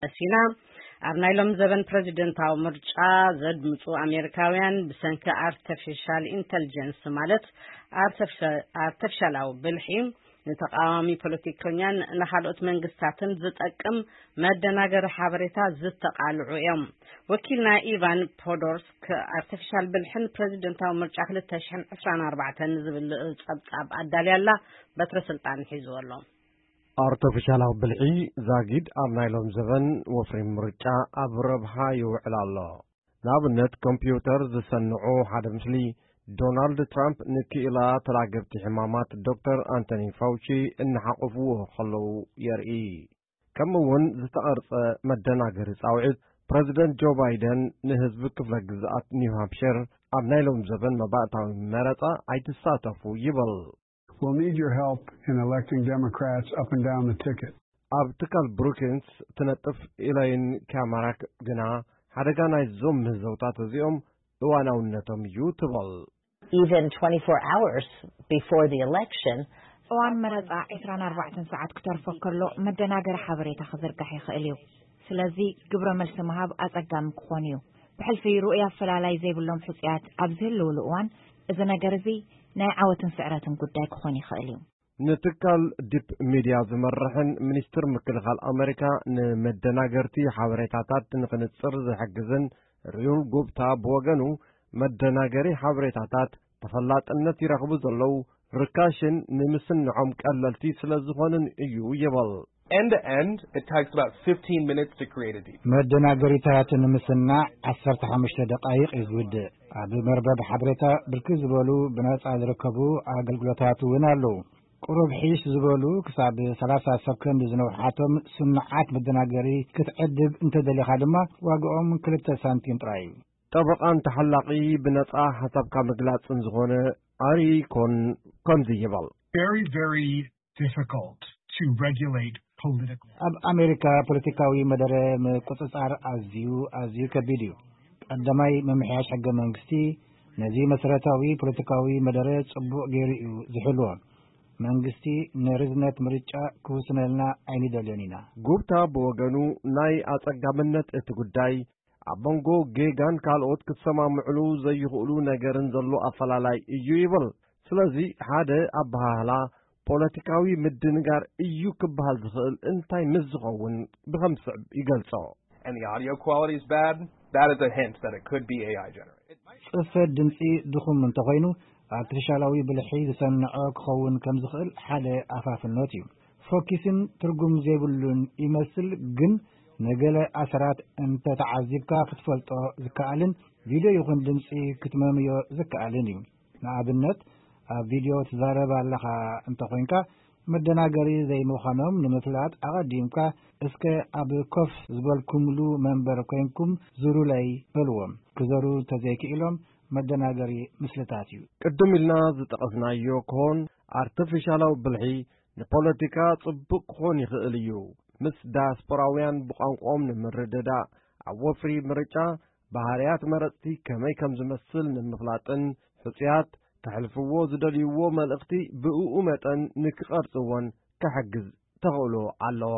መሲና። ኣብ ናይ ሎም ዘበን ፕረዚደንታዊ ምርጫ ዘድምፁ ኣሜሪካውያን ብሰንኪ ኣርተፊሻል ኢንተልጀንስ፣ ማለት ኣርተፊሻላዊ ብልሒ፣ ንተቃዋሚ ፖለቲከኛን ንካልኦት መንግስታትን ዝጠቅም መደናገሪ ሓበሬታ ዝተቃልዑ እዮም። ወኪልና ኢቫን ፖዶርስክ፣ ኣርተፊሻል ብልሕን ፕረዚደንታዊ ምርጫ ክልተ ሽሕን ዕስራን ኣርባዕተን ዝብል ጸብጻብ ኣዳልያላ፣ በትረ ስልጣን ሒዝዎ ኣሎ። ኣርተፊሻላዊ ብልሒ ዛጊድ ኣብ ናይ ሎም ዘበን ወፍሪ ምርጫ ኣብ ረብሓ ይውዕል ኣሎ። ንኣብነት፣ ኮምፒውተር ዝሰንዑ ሓደ ምስሊ ዶናልድ ትራምፕ ንክኢላ ተላገብቲ ሕማማት ዶክተር ኣንቶኒ ፋውቺ እናሓቆፍዎ ከለዉ የርኢ። ከምኡ እውን ዝተቐርጸ መደናገሪ ጻውዒት ፕረዚደንት ጆ ባይደን ንህዝቢ ክፍለ ግዝኣት ኒው ሃምፕሸር ኣብ ናይ ሎም ዘበን መባእታዊ መረጻ ኣይትሳተፉ ይብል። We'll need your help in electing Democrats up and down the ticket. ኣብ ትካል ብሩኪንስ ትነጥፍ ኢላይን ካማራክ ግና፣ ሓደጋ ናይዞም ምህዞታት እዚኦም እዋናውነቶም እዩ ትበል። Even twenty-four hours before the election, እዋን መረጻ ዕስራን ኣርባዕተን ሰዓት ክተርፎ ከሎ መደናገሪ ሓበሬታ ክዝርጋሕ ይኽእል እዩ። ስለዚ ግብረ መልሲ ምሃብ ኣጸጋሚ ክኾን እዩ። ብሕልፊ ርኡይ ኣፈላላይ ዘይብሎም ሕጹያት ኣብ ዝህልውሉ እዋን፣ እዚ ነገር እዚ ናይ ዓወትን ስዕረትን ጉዳይ ክኾን ይኽእል እዩ። ንትካል ዲፕ ሚድያ ዝመርሕን ሚኒስትር ምክልኻል ኣመሪካ ንመደናገርቲ ሓበሬታታት ንኽንጽር ዝሕግዝን ሪዩል ጉብታ ብወገኑ፣ መደናገሪ ሓበሬታታት ተፈላጥነት ይረኽቡ ዘለዉ፣ ርካሽን ንምስንዖም ቀለልቲ ስለ ዝኾኑን እዩ ይብል። End to end, it takes about fifteen minutes to create a deep. መደናገሪታት ንምስናዕ ዓሰርተ ሓሙሽተ ደቃይቕ እዩ ዝውድእ። ኣብ መርበብ ሓበሬታ ብርክት ዝበሉ ብነጻ ዝርከቡ ኣገልግሎታት እውን ኣለዉ። ቁሩብ ሒሽ ዝበሉ ክሳብ ሰላሳ ሰከንድ ዝነውሓቶም ስኑዓት መደናገሪ ክትዕድግ እንተደሊኻ ድማ ዋግኦም ክልተ ሳንቲም ጥራይ እዩ። ጠበቓን ተሓላቒ ብነጻ ሓሳብካ ምግላጽን ዝኾነ ኣሪ ኮን ከምዚ ይብል። Very, very difficult to regulate political. ኣብ ኣሜሪካ ፖለቲካዊ መደረ ምቁጽጻር ኣዝዩ ኣዝዩ ከቢድ እዩ። ቀዳማይ ምምሕያሽ ሕገ መንግስቲ ነዚ መሰረታዊ ፖለቲካዊ መደረ ጽቡቕ ገይሩ እዩ ዝሕልዎ። መንግስቲ ንርዝነት ምርጫ ክውስነልና ኣይንደልዮን ኢና። ጉብታ ብወገኑ ናይ ኣጸጋምነት እቲ ጉዳይ ኣብ መንጎ ጌጋን ካልኦት ክሰማምዕሉ ዘይኽእሉ ነገርን ዘሎ ኣፈላላይ እዩ ይብል። ስለዚ ሓደ ኣበሃህላ ፖለቲካዊ ምድንጋር እዩ ክበሃል ዝኽእል እንታይ ምስ ዝኸውን ብኸም ዝስዕብ ይገልጾ። And the audio quality is bad, that is a hint that it could be A I generated. ጽፈት ድምጺ ድኹም እንተኾይኑ ኣርቲፊሻላዊ ብልሒ ዝሰንዖ ክኸውን ከም ዝኽእል ሓደ ኣፋፍኖት እዩ። ፎኪስን ትርጉም ዘይብሉን ይመስል፣ ግን ንገለ ኣሰራት እንተተዓዚብካ ክትፈልጦ ዝከኣልን ቪድዮ ይኹን ድምጺ ክትመምዮ ዝከኣልን እዩ። ንኣብነት ኣብ ቪድዮ ትዛረብ ኣለኻ እንተኾይንካ መደናገሪ ዘይምዃኖም ንምፍላጥ ኣቐዲምካ እስከ ኣብ ኮፍ ዝበልኩምሉ መንበር ኮይንኩም ዙሩለይ በልዎም። ክዘሩ እንተዘይክኢሎም መደናገሪ ምስልታት እዩ። ቅድም ኢልና ዝጠቐስናዮ ክኾን ኣርቲፊሻላዊ ብልሒ ንፖለቲካ ጽቡቕ ክኾን ይኽእል እዩ። ምስ ዳያስፖራውያን ብቋንቋኦም ንምርድዳእ፣ ኣብ ወፍሪ ምርጫ ባህርያት መረጽቲ ከመይ ከም ዝመስል ንምፍላጥን ሕጹያት ከሕልፍዎ ዝደልይዎ መልእኽቲ ብእኡ መጠን ንክቐርጽዎን ክሕግዝ ተኽእሎ ኣለዎ።